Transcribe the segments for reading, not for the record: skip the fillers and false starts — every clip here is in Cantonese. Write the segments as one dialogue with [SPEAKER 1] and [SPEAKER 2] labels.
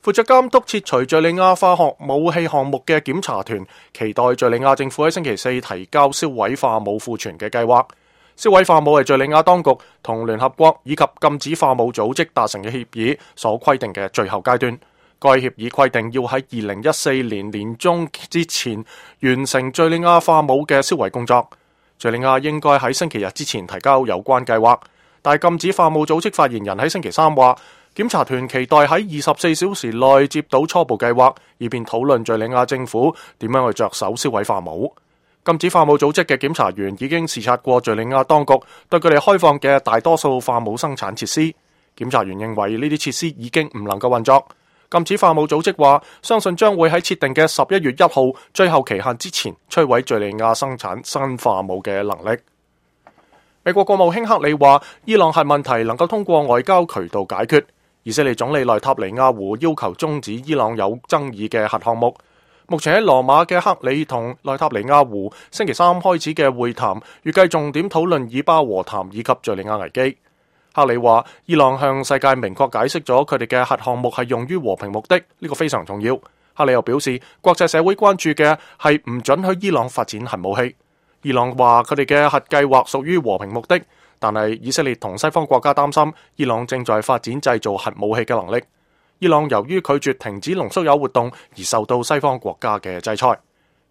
[SPEAKER 1] 負責監督撤除敘利亞化學武器項目嘅檢查團，期待敘利亞政府喺星期四提交銷毀化武庫存嘅計劃。銷毀化武係敘利亞當局同聯合國以及禁止化武組織達成嘅協議所規定嘅最後階段。該協議規定要喺2014年年中之前完成敘利亞化武嘅銷毀工作。敘利亞應該喺星期日之前提交有關計劃，但係禁止化武組織發言人喺星期三話，檢查團期待喺24小時內接到初步計劃，以便討論敘利亞政府點樣去着手銷毀化武。禁止化武組織嘅檢查員已經視察過敘利亞當局對佢哋開放嘅大多數化武生產設施。檢查員認為呢啲設施已經唔能夠運作。禁止化武組織話，相信將會喺設定嘅11月1號最後期限之前摧毀敘利亞生產新化武嘅能力。美國國務卿克里話，伊朗核問題能夠通過外交渠道解決。以色列總理內塔尼亞胡要求終止伊朗有爭議嘅核項目。目前喺羅馬嘅克里同內塔尼亞胡星期三開始嘅會談，預計重點討論以巴和談以及敘利亞危機。克里話，伊朗向世界明確解釋咗佢哋嘅核項目係用於和平目的，呢個非常重要。克里又表示，國際社會關注嘅係唔准許伊朗發展核武器。伊朗話佢哋嘅核計劃屬於和平目的，但係以色列同西方國家擔心伊朗正在發展製造核武器嘅能力。伊朗由於拒絕停止濃縮鈾活動而受到西方國家嘅制裁。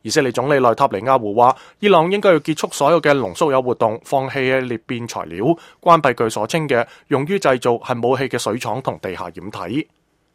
[SPEAKER 1] 以色列總理內塔尼亞胡話，伊朗應該要結束所有嘅濃縮鈾活動，放棄裂變材料，關閉佢所稱嘅用於製造核武器嘅水廠同地下掩體。